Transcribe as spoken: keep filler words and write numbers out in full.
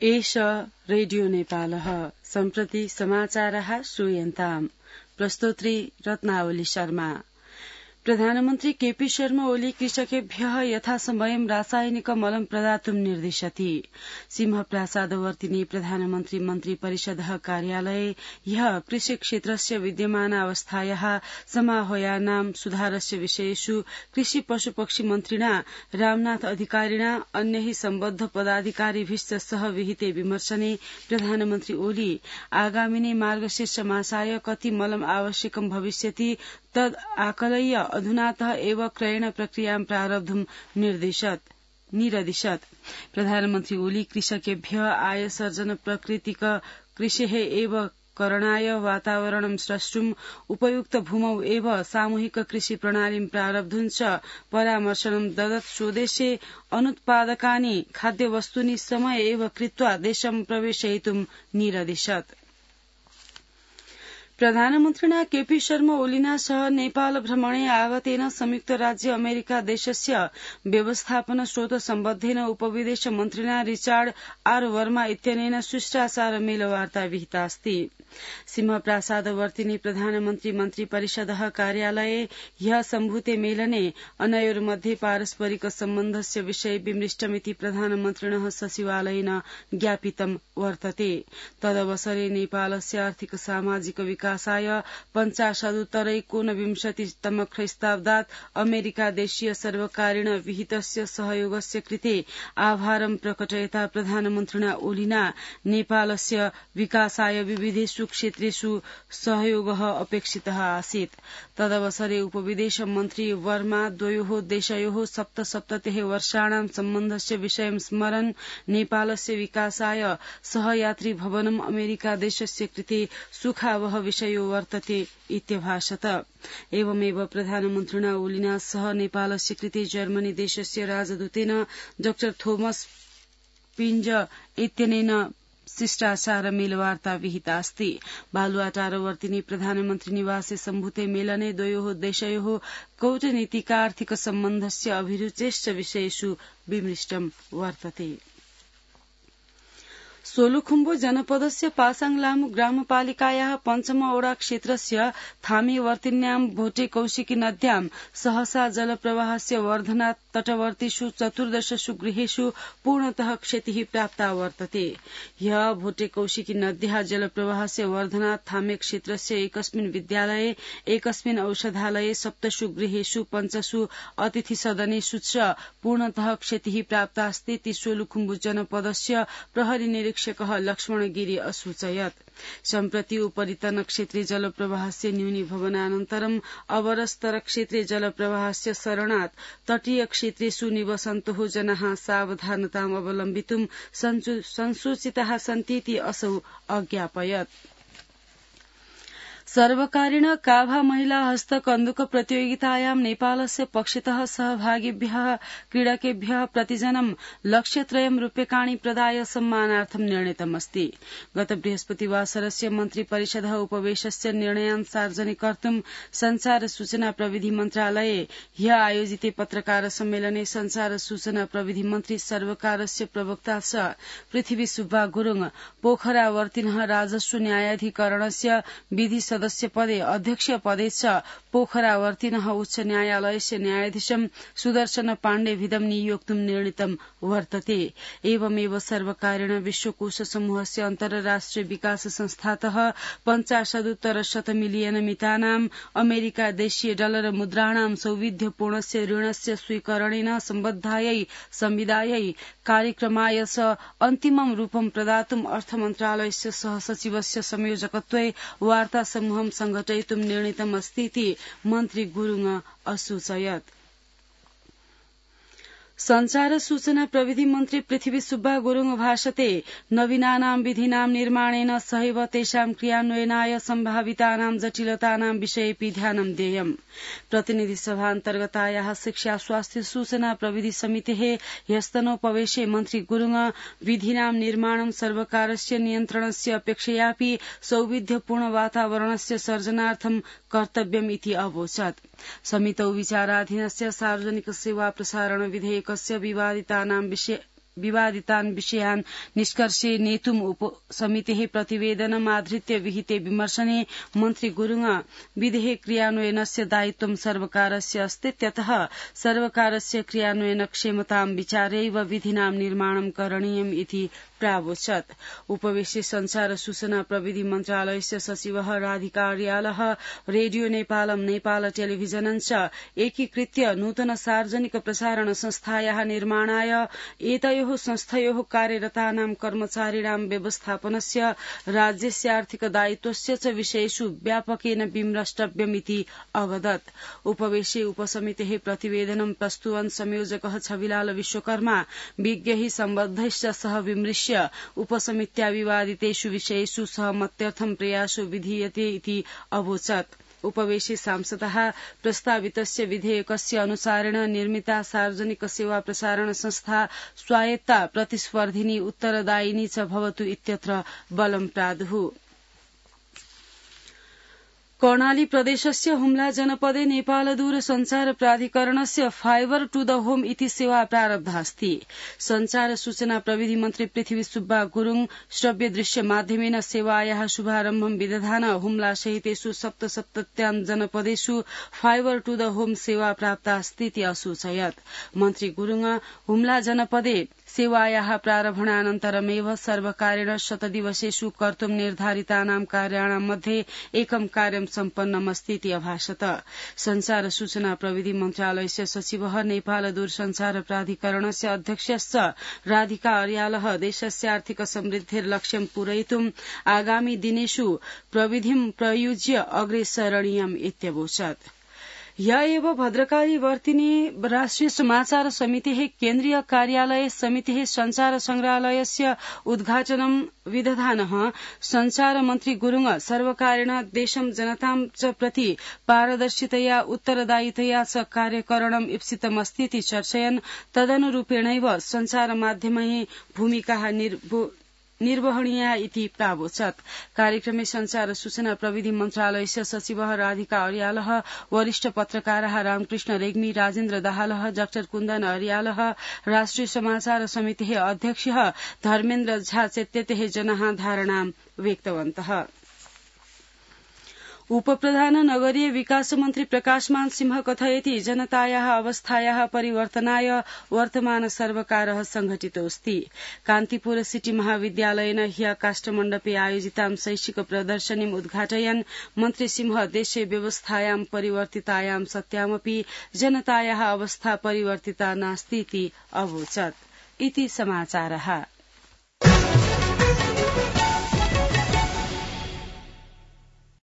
एष रेडियो नेपालः सम्प्रति समाचारः श्रूयन्ताम् प्रस्तोत्री रत्नावली शर्मा। प्रधानमन्त्री केपी शर्मा ओली कृषकेभ्यः यथासमयं रासायनिक मलं प्रदातुं निर्दिशति। सिंहप्रासादवर्तिनि प्रधानमन्त्री मन्त्री परिषदः कार्यालये ह्यः कृषि क्षेत्रस्य विद्यमानावस्थायाः समाहयानां सुधारस्य विषयेषु कृषि पशुपक्षी मन्त्रिणा रामनाथ अधिकारिणा अन्यैः सम्बद्ध पदाधिकारिभिश्च सह विहिते विमर्शने प्रधानमन्त्री ओली आगामिने मार्गशीर्ष मासाय कति मलं आवश्यकं भविष्यति तद् आकलय्य अधुनातः एव क्रयण प्रक्रियां प्रारब्धुं निरदिशत्। प्रधानमन्त्री ओली कृषकेभ्यः आय सर्जन प्राकृतिक कृषेः एव करणाय वातावरणं स्रष्टुम् उपयुक्त भूमौ एव सामूहिक कृषि प्रणालीं प्रारब्धुं च परामर्शनं ददत्। स्वदेशे अनुत्पादकानि खाद्यवस्तूनि समय एव कृत्वा देशं प्रवेशयितुं निरदिशत्। प्रधानमन्त्रिणा केपी शर्मा ओलिना सह नेपाल भ्रमणे आगतेन संयुक्त राज्य अमेरिका देशस्य व्यवस्थापन स्रोत सम्बद्धेन उपविदेश मन्त्रिणा रिचार्ड आर वर्मा इत्यनेन शिष्टाचार मेलवार्ता विहिता अस्ति। सिंहप्रासादवर्तिनि प्रधानमन्त्री मन्त्री परिषदः कार्यालये ह्यः सम्भूते मेलने अनयोर्मध्ये पारस्परिक सम्बन्धस्य विषये विमृष्टमिति प्रधानमन्त्रिणः सचिवालयेन ज्ञापितं वर्तते। तदवसरे नेपालस्य आर्थिक सामाजिक विकासाय पञ्चाशदुत्तरैकोनविंशतितम ख्रीष्टाब्दात् अमेरिका देशीय सर्वकारेण विहितस्य सहयोगस्य कृते आभारं प्रकटयता प्रधानमन्त्रिणा ओलिना नेपालस्य विकासाय विविधेषु क्षेत्रेषु सहयोगः अपेक्षितः आसीत्। तदवसरे उपविदेश मन्त्री वर्मा द्वयोः देशयोः सप्तसप्ततिः वर्षाणां सम्बन्धस्य विषयं स्मरन् नेपालस्य विकासाय सहयात्री भवनम् अमेरिका देशस्य कृते सुखावह विषयो वर्तते इत्यभाषत। एवमेव प्रधानमन्त्रिणा ओलिना सह नेपालस्य कृते जर्मनी देशस्य राजदूतेन डॉ थोमस पिञ्ज इत्यनेन शिष्टाचार मेलवार्ता विहिता अस्ति। बालुवाटारवर्तिनि प्रधानमन्त्री निवासे सम्भूते मेलने द्वयोः देशयोः कूटनीतिकार्थिक सम्बन्धस्य अभिरुचेश्च विषयेषु विमृष्टं वर्तते। सोलुखुम्बु जनपदस्य पासाङ लामु ग्रामपालिकायाः पञ्चमवडा क्षेत्रस्य थामेवर्तिन्यां भोटे कौशिकी नद्यां सहसा जलप्रवाहस्य वर्धनात् तटवर्तीषु चतुर्दशसु गृहेषु पूर्णतः क्षतिः प्राप्ता वर्तते। ह्यः भोटे कौशिकी नद्याः जलप्रवाहस्य वर्धनात् थामे क्षेत्रस्य एकस्मिन् विद्यालये एकस्मिन् औषधालये सप्तसु गृहेषु पञ्चसु अतिथि सदनेषु च पूर्णतः क्षतिः प्राप्ता अस्ति। सोलुखुम्बु जनपदस्य प्रहरी निरीक्षकः लक्ष्मण गिरी असूचयत्। सम्प्रति उपरितन क्षेत्रे जलप्रवाहस्य न्यूनीभवनानन्तरम् अवरस्तर क्षेत्रे जलप्रवाहस्य सरणात् तटीय क्षेत्रेषु निवसन्तोः जनाः सावधानताम् अवलम्बितुं संसूचिताः सन्तीति असौ अज्ञापयत्। सर्वकारेण काभा महिला हस्त कन्दुक प्रतियोगितायां नेपालस्य पक्षतः सहभागिभ्यः क्रीडकेभ्यः प्रतिजनं लक्षत्रयं रूप्यकाणि प्रदाय सम्मानार्थं निर्णीतमस्ति। गत बृहस्पतिवासरस्य मन्त्री परिषदः उपवेशस्य निर्णयान् सार्वजनिक कर्तुं संचार सूचना प्रविधि मन्त्रालये ह्यः आयोजिते पत्रकार सम्मेलने संचार सूचना प्रविधि मन्त्री सर्वकारस्य प्रवक्ता च पृथ्वी सुब्बा गुरुङ पोखरावर्तिनः राजस्व न्यायाधिकरणस्य विधि सदस्य पदे अध्यक्ष पदे च पोखरावर्तिनः उच्च न्यायालयस्य न्यायाधीशं सुदर्शन पाण्डेभिदं नियोक्तुं निर्णीतं वर्तते। एवमेव सर्वकारेण विश्वकोश समूहस्य अन्तर्राष्ट्रिय विकास संस्थातः पञ्चाशदुत्तर शत मिलियन मितानाम् अमेरिका देशीय डलर मुद्राणां सौविध्यपूर्णस्य ऋणस्य स्वीकरणेन सम्बद्धायै संविदायै कार्यक्रमाय च अन्तिमं रूपं प्रदातुम् अर्थमन्त्रालयस्य सहसचिवस्य संयोजकत्वे वार्ता समूहं संघटयितुं निर्णीतमस्तीति मन्त्री गुरुङ असूचयत्। संचार सूचना प्रविधि मन्त्री पृथ्वी सुब्बा गुरुङ भाषते नवीनानां विधीनां निर्माणेन सहैव तेषां क्रियान्वयनाय सम्भावितानां जटिलतानां विषयेऽपि ध्यानं देयम्। प्रतिनिधि सभान्तर्गतायाः शिक्षा स्वास्थ्य सूचना प्रविधि समितेः ह्यस्तनोपवेशे मन्त्री गुरुङ विधीनां निर्माणं सर्वकारस्य नियन्त्रणस्य अपेक्षयापि सौविध्यपूर्ण वातावरणस्य सर्जनार्थं कर्तव्यमिति अवोचत्। समितौ विचाराधीनस्य सार्वजनिक सेवा प्रसारण विधेयकस्य विवादितानां विषय विवादितान् विषयान् निष्कर्षे नेतुम् उपसमितेः प्रतिवेदनमाधृत्य विहिते विमर्शने मन्त्री गुरुङ विधेयक क्रियान्वयनस्य दायित्वं सर्वकारस्य अस्तीत्यतः सर्वकारस्य क्रियान्वयनक्षमतां विचार्यैव विधिनां निर्माणं करणीयम् इति प्रावोचत्। उपवेशे संचार सूचना प्रविधि मन्त्रालयस्य सचिवः राधिकार्यालः रेडियो नेपालम नेपाल टेलिभिजनं च एकीकृत्य नूतन सार्वजनिक प्रसारण संस्थायाः निर्माणाय एतयोः संस्थयोः कार्यरतानां कर्मचारिणां व्यवस्थापनस्य राज्यस्य आर्थिक दायित्वस्य च विषयेषु व्यापकेन विमृष्टव्यमिति अवदत्। उपवेशे उपसमितेः प्रतिवेदनं प्रस्तुवन् संयोजकः छविलाल विश्वकर्मा विज्ञैः सम्बद्धैश्च सह विमृश्य उपसमित्या विवादितेषु विषयेषु सहमत्यर्थं प्रयासो विधीयते इति अवोचत्। उपवेशे सांसदः प्रस्तावितस्य विधेयकस्य अनुसारेण निर्मिता सार्वजनिक सेवा प्रसारण संस्था स्वायत्ता प्रतिस्पर्धिनी उत्तरदायिनी च भवतु इत्यत्र बलं प्रादुः। कर्णाली प्रदेशस्य हुम्ला जनपदे नेपाल दूरसञ्चार प्राधिकरणस्य फाइबर टू द होम इति सेवा प्रारब्धा अस्ति। संचार सूचना प्रविधि मन्त्री पृथ्वी सुब्बा गुरुङ श्रव्य दृश्य माध्यमेन सेवायाः शुभारम्भं विदधान हुम्ला सहितेषु सप्तसप्तत्यां जनपदेषु फाइबर टू द होम सेवा प्राप्ता अस्तीति असूचयत्। मन्त्री गुरुङ हुम्ला जनपदे सेवायाः प्रारम्भणानन्तरमेव सर्वकारेण शतदिवसेषु कर्तुं निर्धारितानां कार्याणां मध्ये एकं कार्यं सम्पन्नमस्तीति अभाषत। संचार सूचना प्रविधि मन्त्रालयस्य सचिवः नेपाल दूरसञ्चार प्राधिकरणस्य अध्यक्षश्च राधिका अर्यालः देशस्य आर्थिक समृद्धिर्लक्ष्यं पूरयितुं आगामी दिनेषु प्रविधिं प्रयुज्य अग्रे सरणीयम् इत्यवोचत्। य एव भद्रकाली वर्तिनी राष्ट्रिय समाचार समितेः केन्द्रीय कार्यालये समितेः संचार संग्रहालयस्य उद्घाटनं विदधानः संचार मन्त्री गुरुङ सर्वकारेण देशं जनतां च प्रति पारदर्शितया उत्तरदायितया च कार्यकरणम् ईप्सितमस्तीति चर्चयन् तदनुरूपेणैव संचार माध्यमैः भूमिकाः निर्वहणीया इति प्रावोचत्। कार्यक्रमे संचार सूचना प्रविधि मन्त्रालयस्य सचिवः राधिका अर्यालः वरिष्ठ पत्रकारः रामकृष्ण रेग्मी राजेन्द्र दाहालः डाक्टर कुन्दन अर्यालः राष्ट्रिय समाचार समितेः अध्यक्षः धर्मेन्द्र झा चेत्यतेः जनाः धारणां व्यक्तवन्तः। उपप्रधान नगरीय विकास मन्त्री प्रकाशमान सिंह कथयति जनतायाः अवस्थायाः परिवर्तनाय वर्तमान सर्वकारः संघटितोऽस्ति। कान्तिपुर सिटी महाविद्यालयेन ह्य काष्ठमण्डपे आयोजितां शैक्षिक प्रदर्शनीम् उद्घाटयन् मन्त्री सिंह देशे व्यवस्थायां परिवर्तितायां सत्यामपि जनतायाः अवस्था परिवर्तिता नास्तीति अवोचत्। इति समाचारः।